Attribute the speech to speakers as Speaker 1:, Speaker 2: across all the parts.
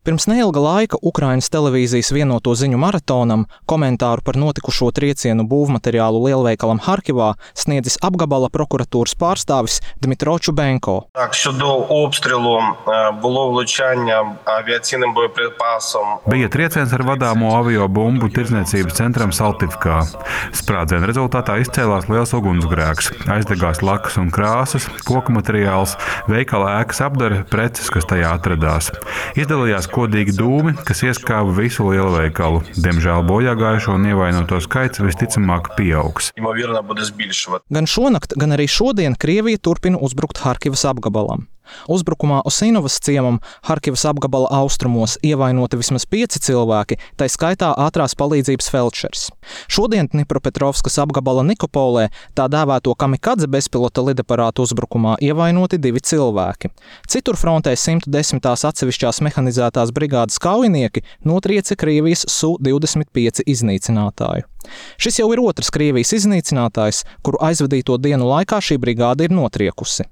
Speaker 1: Pirms neilga laika Ukrainas televīzijas vienoto ziņu maratonam komentāru par notikušo triecienu būvmateriālu lielveikalam Harkivā sniedzis apgabala prokuratūras pārstāvis Dmitro Чубенко.
Speaker 2: Щодо обстрілу було влучання авіаційним боєприпасом.
Speaker 3: Bija trieciens ar vadāmo aviobumbu tirdzniecības centram Saltivkā. Sprādziena rezultātā izcēlās liels ugunsgrēks, aizdegās lakas un krāsas, koku materiāls, veikala ēkas apdara, preces, kas tajā atradās. Izdalījās kodīgi dūmi, kas ieskāva visu lielveikalu. Diemžēl bojāgājušo un ievainoto skaits visticamāk pieaugs.
Speaker 1: Gan šonakt, gan arī šodien Krievija turpina uzbrukt Harkivas apgabalam. Uzbrukumā Osinovas ciemam Harkivas apgabala austrumos ievainoti vismaz 5 cilvēki, tai skaitā ātrās palīdzības feldšers. Šodien Dnipropetrovskas apgabala Nikopolē tā dēvēto kamikadze bezpilota lidaparātu uzbrukumā ievainoti 2 cilvēki. Citur frontē 110. atsevišķās mehanizētās brigādes kaujinieki notriece Krievijas Su-25 iznīcinātāju. Šis jau ir otrs Krievijas iznīcinātājs, kuru aizvadīto dienu laikā šī brigāde ir notriekusi.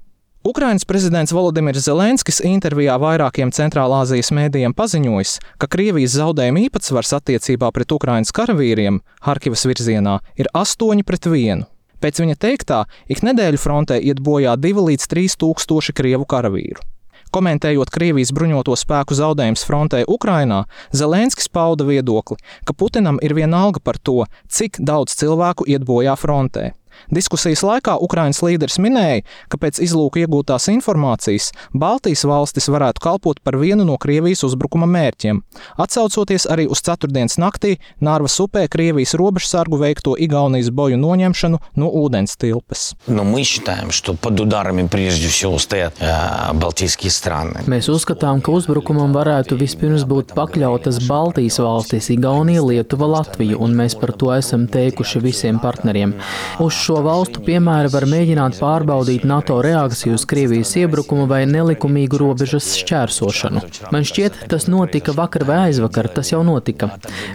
Speaker 1: Ukrainas prezidents Volodimirs Zelenskis intervijā vairākiem Centrālāzijas mēdījiem paziņojis, ka Krievijas zaudējuma īpatsvars attiecībā pret Ukrainas karavīriem Harkivas virzienā ir 8-1. Pēc viņa teiktā, ik nedēļu frontē iet bojā 2 līdz 3 tūkstoši krievu karavīru. Komentējot Krievijas bruņoto spēku zaudējums frontē Ukrainā, Zelenskis pauda viedokli, ka Putinam ir vienalga par to, cik daudz cilvēku iet bojā frontē. Diskusijas laikā Ukrainas līderis minēja, ka pēc izlūka iegūtās informācijas Baltijas valstis varētu kalpot par vienu no Krievijas uzbrukuma mērķiem, atsaucoties arī uz ceturtdienas naktī Narvas upē Krievijas robežsargu veikto Igaunijas boju noņemšanu no ūdens tilpes.
Speaker 4: Mēs uzskatām, ka uzbrukumam varētu vispirms būt pakļautas Baltijas valstis, Igaunija, Lietuva, Latvija, un mēs par to esam teikuši visiem partneriem. Uz šo valstu piemēra var mēģināt pārbaudīt NATO reakciju uz Krievijas iebrukumu vai nelikumīgu robežas šķērsošanu. Man šķiet, tas notika vakar vai aizvakar, tas jau notika.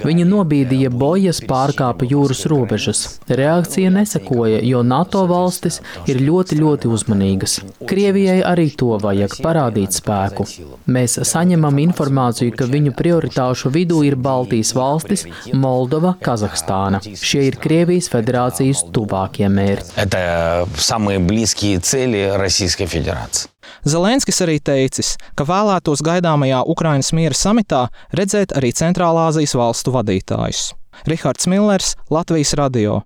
Speaker 4: Viņi nobīdīja bojas, pārkāpa jūras robežas. Reakcija nesekoja, jo NATO valstis ir ļoti uzmanīgas. Krievijai arī to vajag parādīt spēku. Mēs saņemam informāciju, ka viņu prioritāšu vidū ir Baltijas valstis, Moldova, Kazahstāna. Šie ir Krievijas federācijas tuvākie mērķi.
Speaker 1: Zelenskis arī teicis, ka vēlētos gaidāmajā Ukrainas miera samitā redzēt arī Centrālāzijas valstu vadītājus. Rihards Millers, Latvijas radio.